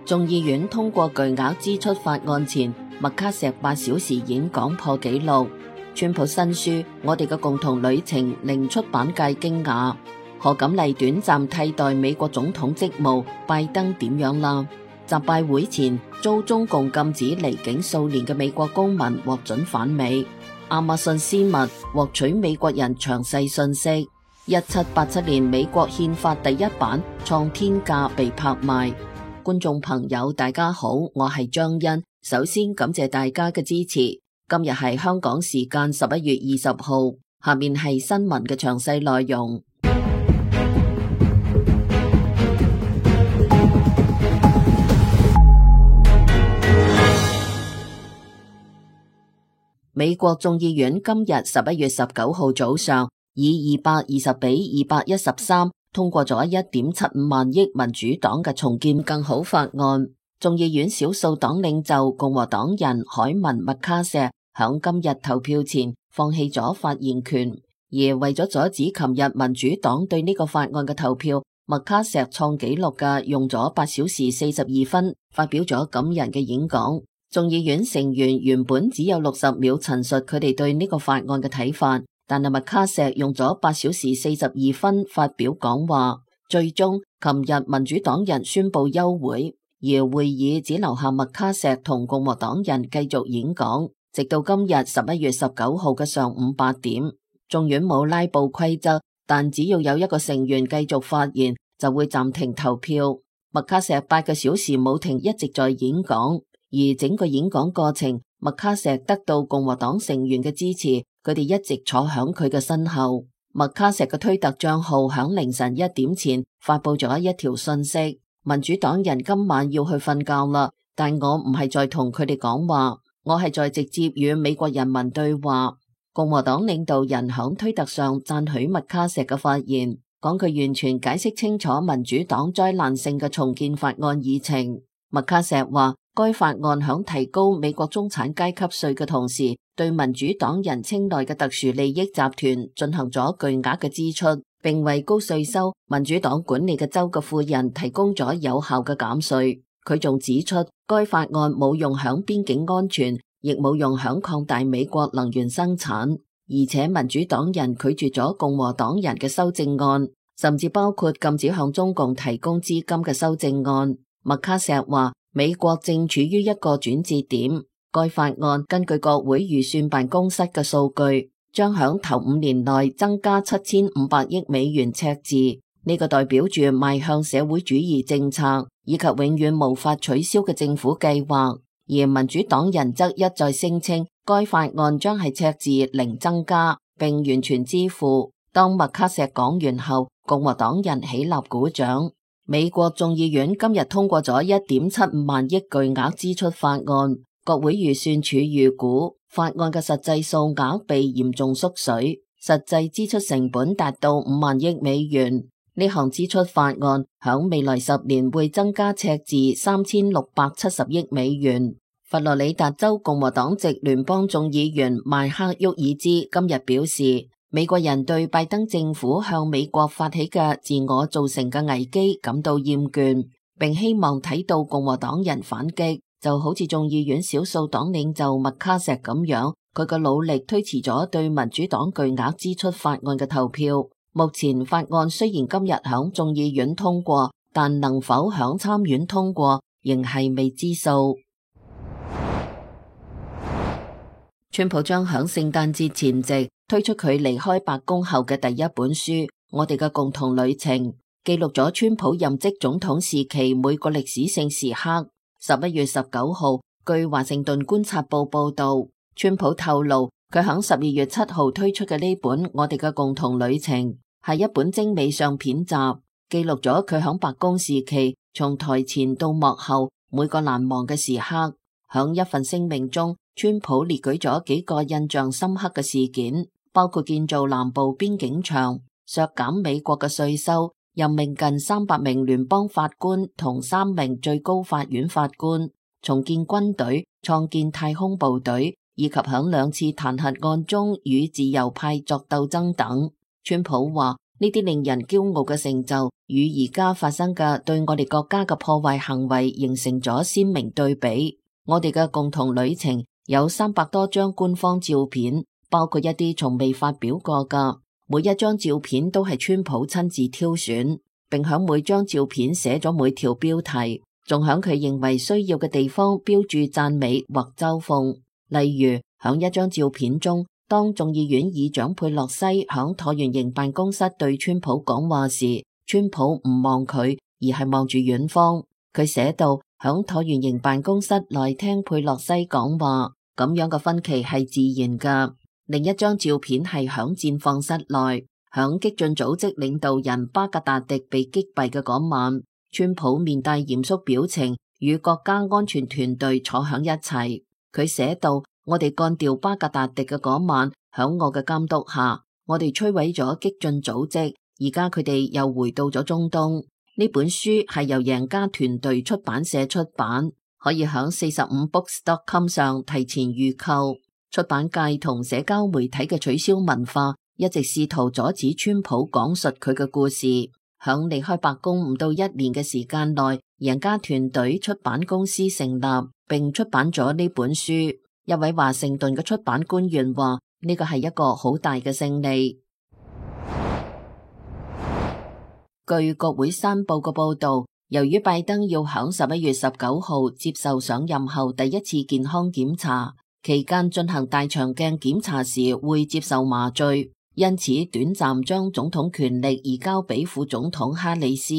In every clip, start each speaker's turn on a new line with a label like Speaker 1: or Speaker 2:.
Speaker 1: 眾議院通過巨額支出法案前，麥卡錫8小時演講破紀錄。川普新書《我哋嘅共同旅程》令出版界驚訝。賀錦麗短暫替代美國總統職務，拜登點樣啦？習拜會前遭中共禁止離境數年嘅美國公民獲准返美。亞馬遜私密獲取美國人詳細信息。1787年美國憲法第1版創天價被拍賣。觀眾朋友大家好，我係張欣，首先感謝大家嘅支持。今日係香港時間11月20號，下面係新聞嘅詳細內容。美國眾議院今日11月19號早上以220比213通過咗1.75萬億民主黨嘅重建更好法案。眾議院少數黨領袖共和黨人凱文麥卡錫響今日投票前放棄咗發言權，而為咗阻止琴日民主黨對呢個法案嘅投票，麥卡錫創紀錄嘅用咗8小時42分發表咗感人嘅演講。眾議院成員原本只有60秒陳述佢哋對呢個法案嘅睇法，但係麥卡錫用咗8小時42分發表講話。最終，琴日民主黨人宣布休會，而會議只留下麥卡錫同共和黨人繼續演講，直到今日11月19號嘅上午8點。眾院冇拉布規則，但只要有一個成員繼續發言，就會暫停投票。麥卡錫8個小時冇停一直在演講，而整個演講過程，麥卡錫得到共和黨成員嘅支持，佢哋一直坐響佢嘅身後。麥卡錫嘅推特賬號響凌晨1點前發佈咗一條信息：民主黨人今晚要去瞓覺啦，但我唔係在同佢哋講話，我係在直接與美國人民對話。共和黨領導人響推特上讚許麥卡錫嘅發言，講佢完全解釋清楚民主黨災難性嘅重建法案議程。麥卡錫話，該法案響提高美國中產階級稅嘅同時，對民主黨人青睞嘅特殊利益集團進行咗巨額嘅支出，並為高稅收民主黨管理嘅州嘅富人提供咗有效嘅減稅。佢仲指出，該法案冇用響邊境安全，亦冇用響擴大美國能源生產，而且民主黨人拒絕咗共和黨人嘅修正案，甚至包括禁止向中共提供資金嘅修正案。麥卡錫話，美國正處於一個轉折點。該法案根據國會預算辦公室嘅數據，將響頭5年內增加7500億美元赤字。呢個代表住邁向社會主義政策以及永遠無法取消嘅政府計劃。而民主黨人則一再聲稱，該法案將係赤字0增加，並完全支付。當麥卡錫講完後，共和黨人起立鼓掌。美國眾議院今日通過咗1.75萬億巨額支出法案。國會預算署預估法案嘅實際數額被嚴重縮水，實際支出成本達到5萬億美元。呢項支出法案響未來10年會增加赤字3670億美元。佛羅里達州共和黨籍聯邦眾議員邁克沃爾茲今日表示，美國人對拜登政府向美國發起嘅自我造成嘅危機感到厭倦，並希望睇到共和黨人反擊，就好似眾議院少數黨領袖麥卡錫咁樣，佢嘅努力推遲咗對民主黨巨額支出法案嘅投票。目前法案雖然今日響眾議院通過，但能否響參院通過仍係未知數。川普將響聖誕節前夕推出佢離開白宮後嘅第一本書《我哋嘅共同旅程》，記錄咗川普任職總統時期每個歷史性時刻。11月19號，據華盛頓觀察報報道，川普透露佢響12月7號推出嘅呢本《我哋嘅共同旅程》係一本精美相片集，記錄咗佢響白宮時期從台前到幕後每個難忘嘅時刻。響一份聲明中，川普列舉咗幾個印象深刻嘅事件，包括建造南部邊境牆、削減美國嘅稅收、任命近300名聯邦法官同3名最高法院法官、重建軍隊、創建太空部隊，以及響2次彈劾案中與自由派作鬥爭等。川普話呢啲令人驕傲嘅成就，與而家發生嘅對我哋國家嘅破壞行為形成咗鮮明對比。我哋嘅共同旅程有300多張官方照片，包括一啲從未發表過㗎。每一張照片都係川普親自挑選，並響每張照片寫咗每條標題，仲響佢認為需要嘅地方標注讚美或嘲諷。例如，響一張照片中，當眾議院議長佩洛西響橢圓形辦公室對川普講話時，川普唔望佢，而係望住遠方。佢寫到響橢圓形辦公室內聽佩洛西講話，咁樣嘅分歧係自然㗎。另一張照片係響戰況室內，響激進組織領導人巴格達迪被擊斃嘅嗰晚，川普面帶嚴肅表情，與國家安全團隊坐響一齊。佢寫到：我哋幹掉巴格達迪嘅嗰晚，響我嘅監督下，我哋摧毀咗激進組織。而家佢哋又回到咗中東。呢本書係由贏家團隊出版社出版，可以響45books.com 上提前預購。出版界同社交媒體嘅取消文化一直試圖阻止川普講述佢嘅故事。響離開白宮唔到1年嘅時間內，贏家團隊出版公司成立，並出版咗呢本書。一位華盛頓嘅出版官員話：呢個係一個好大嘅勝利。據國會山報嘅報道，由於拜登要響11月19號接受上任後第一次健康檢查，期間進行大腸鏡檢查時會接受麻醉，因此短暫將總統權力移交俾副總統哈里斯。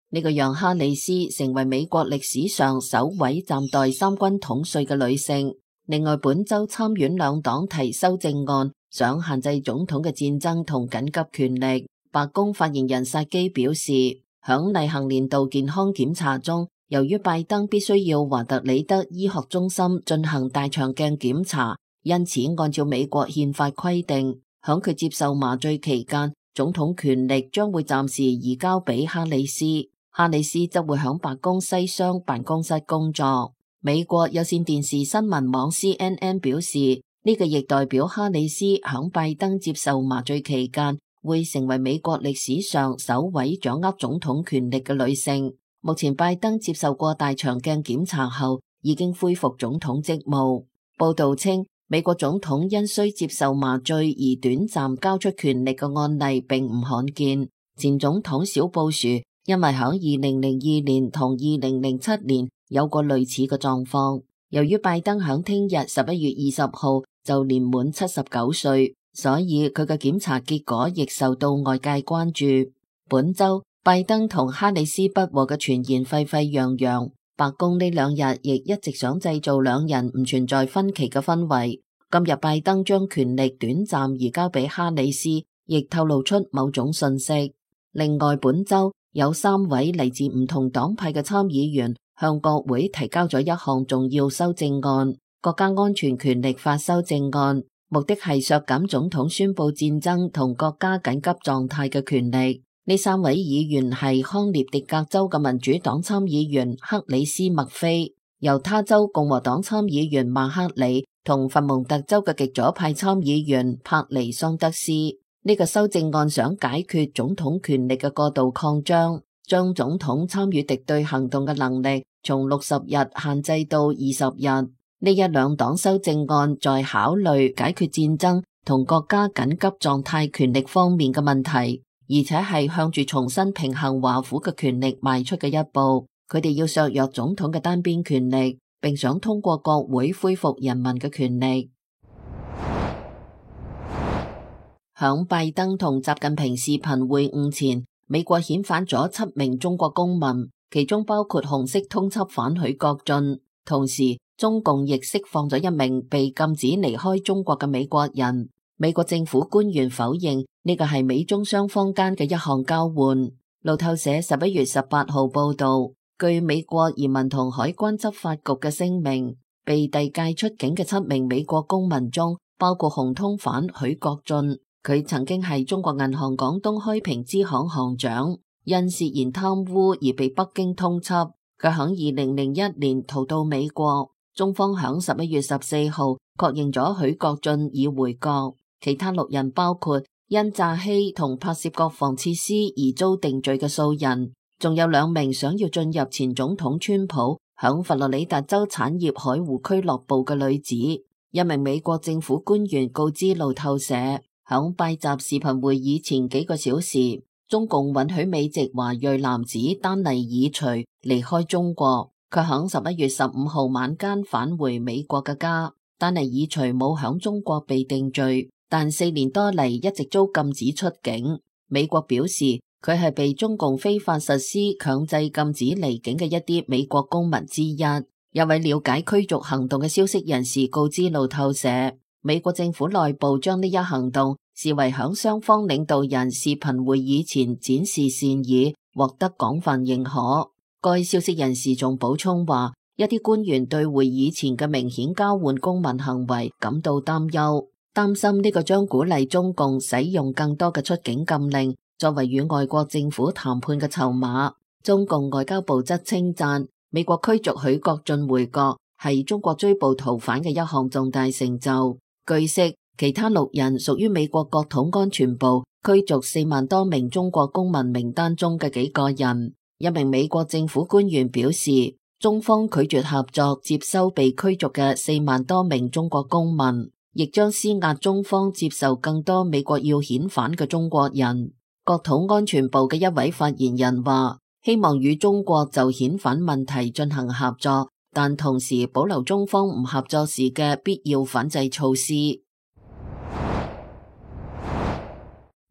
Speaker 1: 呢個讓哈里斯成為美國歷史上首位暫代三軍統帥嘅女性。另外，本周參院兩黨提修正案，想限制總統嘅戰爭同緊急權力。白宮發言人薩基表示，響例行年度健康檢查中，由於拜登必須要華特里德醫學中心進行大腸鏡檢查，因此按照美國憲法規定，響佢接受麻醉期間，總統權力將會暫時移交俾哈里斯。哈里斯則會響白宮西廂辦公室工作。美國有線電視新聞網 CNN 表示，呢個亦代表哈里斯響拜登接受麻醉期間會成為美國歷史上首位掌握總統權力嘅女性。目前拜登接受過大腸鏡檢查後，已經恢復總統職務。報道稱，美國總統因需接受麻醉而短暫交出權力嘅案例並唔罕見。前總統小布殊因為響2002年同2007年有過類似嘅狀況。由於拜登響聽日11月20號就年滿79歲，所以佢嘅檢查結果亦受到外界關注。本周拜登同哈里斯不和嘅傳言沸沸揚揚，白宮呢兩日亦一直想製造兩人唔存在分歧嘅氛圍。今日拜登將權力短暫移交俾哈里斯，亦透露出某種信息。另外，本周有3位嚟自唔同黨派嘅參議員向國會提交咗一項重要修正案，國家安全權力法修正案，目的係削減總統宣布戰爭同國家緊急狀態嘅權力。呢3位議員係康涅狄格州嘅民主黨參議員克里斯麥菲、猶他州共和黨參議員馬克里同佛蒙特州嘅極左派參議員帕尼桑德斯。呢個修正案想解決總統權力嘅過度擴張，將總統參與敵對行動嘅能力從60日限制到20日。呢一兩黨修正案在考慮解決戰爭同國家緊急狀態權力方面嘅問題，而且係向住重新平衡華府嘅權力邁出嘅一步。佢哋要削弱總統嘅單邊權力，並想通過國會恢復人民嘅權力。響拜登同習近平視頻會晤前，美國遣返咗7名中國公民，其中包括紅色通緝犯許國俊。同時，中共亦釋放咗1名被禁止離開中國嘅美國人。美國政府官員否認呢個係美中雙方間嘅一項交換。路透社11月18號報道，據美國移民同海關執法局嘅聲明，被遞解出境嘅7名美國公民中，包括紅通犯許國俊。佢曾經係中國銀行廣東開平支行行長，因涉嫌貪污而被北京通緝。佢響2001年逃到美國，中方響11月14號確認咗許國俊已回國。其他6人包括因詐欺同拍攝國防設施而遭定罪嘅數人，仲有2名想要進入前總統川普響佛羅里達州產業海湖俱樂部嘅女子。1名美國政府官員告知路透社，響拜習視頻會議前幾個小時，中共允許美籍華裔男子丹尼爾徐離開中國，佢響11月15號晚間返回美國嘅家。丹尼爾徐冇響中國被定罪，但4年多嚟一直遭禁止出境。美國表示佢係被中共非法實施強制禁止離境嘅一啲美國公民之一。有位了解驅逐行動嘅消息人士告知路透社，美國政府內部將呢一行動視為響雙方領導人視頻會議前展示善意，獲得廣泛認可。該消息人士仲補充話，一啲官員對會議前嘅明顯交換公民行為感到擔憂，擔心呢個將鼓勵中共使用更多嘅出境禁令作為與外國政府談判嘅籌碼。中共外交部則稱讚美國驅逐許國俊回國係中國追捕逃犯嘅一項重大成就。據悉，其他6人屬於美國國土安全部驅逐4萬多名中國公民名單中嘅幾個人。1名美國政府官員表示，中方拒絕合作接收被驅逐嘅4萬多名中國公民，亦將施壓中方接受更多美國要遣返嘅中國人。國土安全部嘅一位發言人話，希望與中國就遣返問題進行合作，但同時保留中方唔合作時嘅必要反制措施。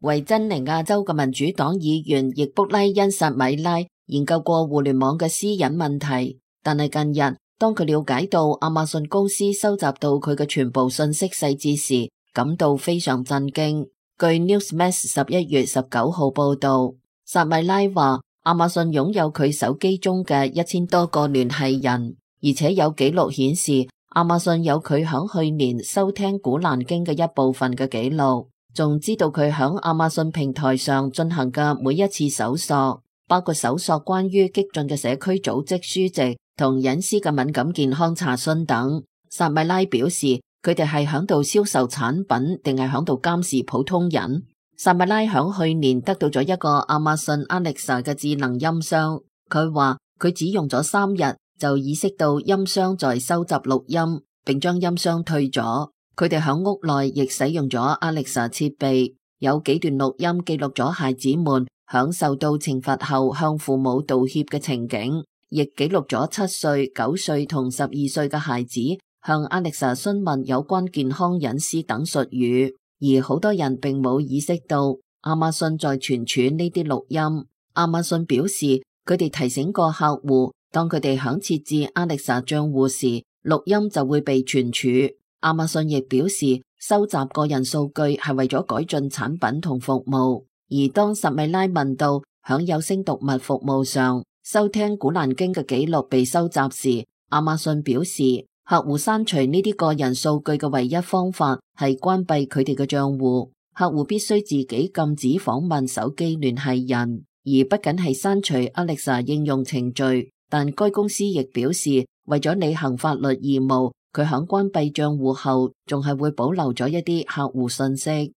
Speaker 1: 維珍尼亞州嘅民主黨議員易卜拉恩薩米拉研究過互聯網嘅私隱問題，但係近日當佢了解到亞馬遜公司收集到佢嘅全部信息細節時，感到非常震驚。據 Newsmax 11月19號報道，薩米拉話亞馬遜擁有佢手機中嘅1000多個聯繫人，而且有記錄顯示亞馬遜有佢響去年收聽古蘭經嘅一部分嘅記錄，仲知道佢響亞馬遜平台上進行嘅每一次搜索，包括搜索關於激進嘅社區組織書籍同隱私嘅敏感健康查詢等。薩米拉表示，佢哋係響度銷售產品定係響度監視普通人。薩米拉響去年得到咗一個亞馬遜 Alexa 嘅智能音箱，佢話佢只用咗3日就意識到音箱在收集錄音，並將音箱退咗。佢哋響屋內亦使用咗 Alexa 設備，有幾段錄音記錄咗孩子們響受到懲罰後向父母道歉嘅情景，亦記錄咗7歲、9歲同12歲嘅孩子向 Alexa 詢問有關健康隱私等術語。而好多人並冇意識到亞馬遜在存儲呢啲錄音。亞馬遜表示，佢哋提醒過客戶，當佢哋響設置 Alexa 賬戶時，錄音就會被存儲。亞馬遜亦表示，收集個人數據係為咗改進產品同服務。而當薩米拉問到響有聲讀物服務上收聽古蘭經嘅記錄被收集時，亞馬遜表示，客戶刪除呢啲個人數據嘅唯一方法係關閉佢哋嘅賬戶。客戶必須自己禁止訪問手機聯繫人，而不僅係刪除 Alexa 應用程序。但該公司亦表示，為咗履行法律義務，佢響關閉賬戶後仲係會保留咗一啲客戶信息。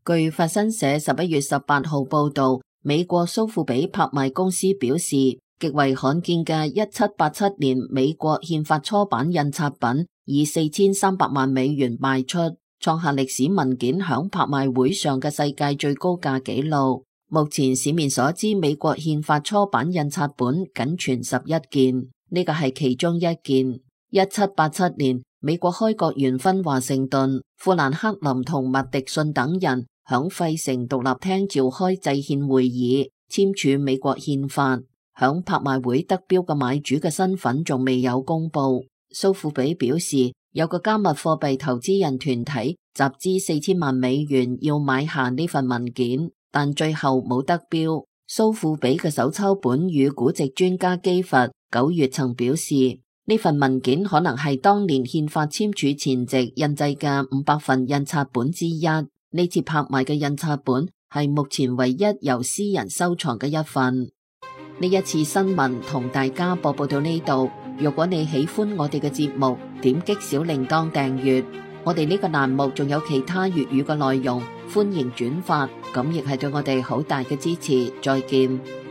Speaker 1: 據法新社11月18號報道，美國蘇富比拍賣公司表示，極為罕見嘅1787年美國憲法初版印刷品以4300萬美元賣出，創下歷史文件響拍賣會上嘅世界最高價紀錄。目前市面所知美國憲法初版印刷本僅存11件，呢個係其中一件。1787年，美國開國元勳華盛頓、富蘭克林同麥迪遜等人響費城獨立廳召開制憲會議，簽署美國憲法。響拍賣會得標嘅買主嘅身份仲未有公布。蘇富比表示，有個加密貨幣投資人團體集資4000萬美元要買下呢份文件，但最後冇得標。蘇富比嘅手抄本與估值專家基佛9月曾表示，呢份文件可能係當年憲法簽署前夕印製嘅500份印刷本之一。呢次拍賣嘅印刷本係目前唯一由私人收藏嘅一份。呢一次新聞同大家播報到呢度。如果你喜歡我哋嘅節目，點擊小鈴鐺訂閱。我哋呢個欄目仲有其他粵語嘅內容，歡迎轉發，咁亦係對我哋好大嘅支持。再見。